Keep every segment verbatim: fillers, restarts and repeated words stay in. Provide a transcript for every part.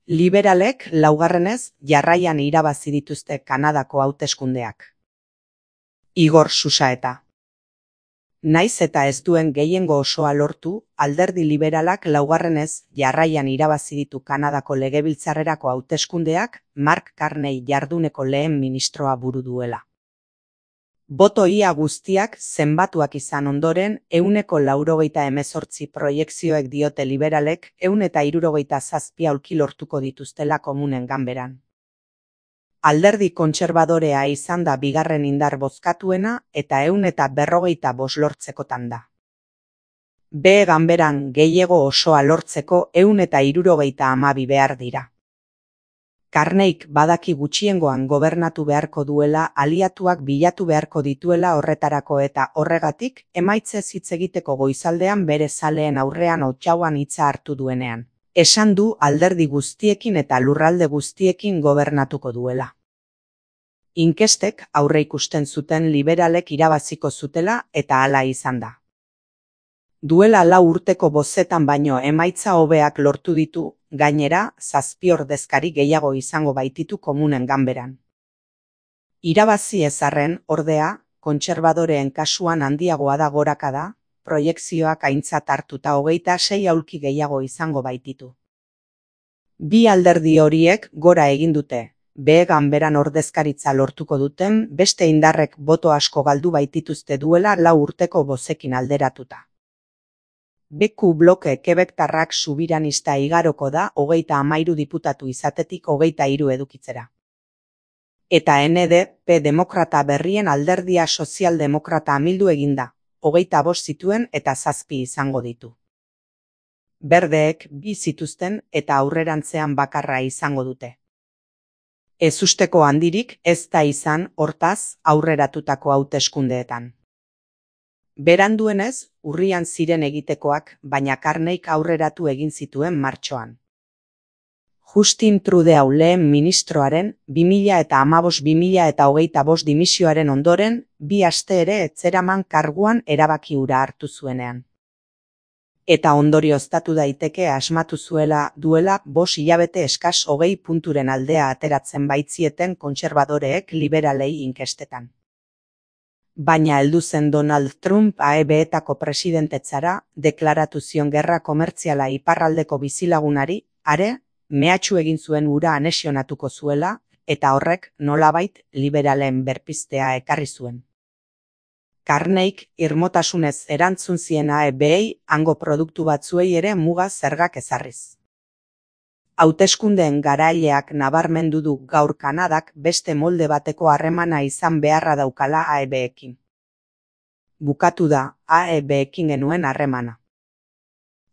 Liberalek laugarrenez jarraian irabazi dituzte Kanadako hauteskundeak. Igor Susaeta. Naiz eta ez duen gehiengo osoa lortu, alderdi liberalak laugarrenez jarraian irabazi ditu Kanadako legebiltzarrerako hauteskundeak Mark Carney jarduneko lehen ministroa buru duela. Boto ia guztiak zenbatuak izan ondoren, ehuneko laurogeita hemezortzi proiekzioek diote liberalek ehun eta hirurogeita zazpi aulki lortuko dituztela komunen ganberan. Alderdi kontserbadorea izan da bigarren indar bozkatuena eta ehun eta berrogeita bost lortzekotan da. B ganberan gehiego osoa lortzeko ehun eta hirurogeita hamabi behar dira. Carneyk badaki gutxiengoan gobernatu beharko duela, aliatuak bilatu beharko dituela horretarako eta horregatik emaitzez hitz egiteko goizaldean bere zaleen aurrean otsauan hitza hartu duenean. Esan du alderdi guztiekin eta lurralde guztiekin gobernatuko duela. Inkestek aurre ikusten zuten liberalek irabaziko zutela eta hala izan da. Duela lau urteko bozetan baino emaitza hobeak lortu ditu, gainera, zazpi ordezkari gehiago izango baititu komunen ganberan. Irabazi ezarren, ordea, kontserbadoreen kasuan handiagoa da gorakada, proiekzioak aintzat hartuta hogeita sei aulki gehiago izango baititu. Bi alderdi horiek gora egin dute, B ganberan ordezkaritza lortuko duten beste indarrek boto asko galdu baitituzte duela lau urteko bozekin alderatuta. B Q bloke kebektarrak subiranista igaroko da hogeita hamairu diputatu izatetik hogeita hiru edukitzera. Eta N D P demokrata berrien alderdia sozialdemokrata amildu eginda, hogeita bost zituen eta zazpi izango ditu. Berdeek bi zituzten eta aurrerantzean bakarra izango dute. Ezusteko handirik ez da izan, hortaz, aurreratutako hauteskundeetan. Beranduenez, urrian ziren egitekoak, baina Carneyk aurreratu egin zituen martxoan. Justin Trudeau lehen ministroaren bi mila eta hamabost bi mila eta hogeita bost dimisioaren ondoren, bi aste ere etzeraman karguan erabaki hura hartu zuenean. Eta ondorioztatu daiteke asmatu zuela duela bost hilabete eskas hogei punturen aldea ateratzen baitzieten kontserbadoreek liberalei inkestetan. Baina heldu zen Donald Trump A E B-etako presidentetzara, deklaratu zion gerra komertziala iparraldeko bizilagunari, are, mehatxu egin zuen hura anexionatuko zuela, eta horrek nolabait liberalen berpiztea ekarri zuen. Carneyk irmotasunez erantzun zien A E B-ei hango produktu batzuei ere muga zergak ezarriz. Hauteskundeen garaileak nabarmendu du gaur Kanadak beste molde bateko harremana izan beharra daukala A E B-ekin. Bukatu da A E B-ekin genuen harremana.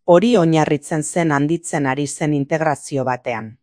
Hori oinarritzen zen handitzen ari zen integrazio batean.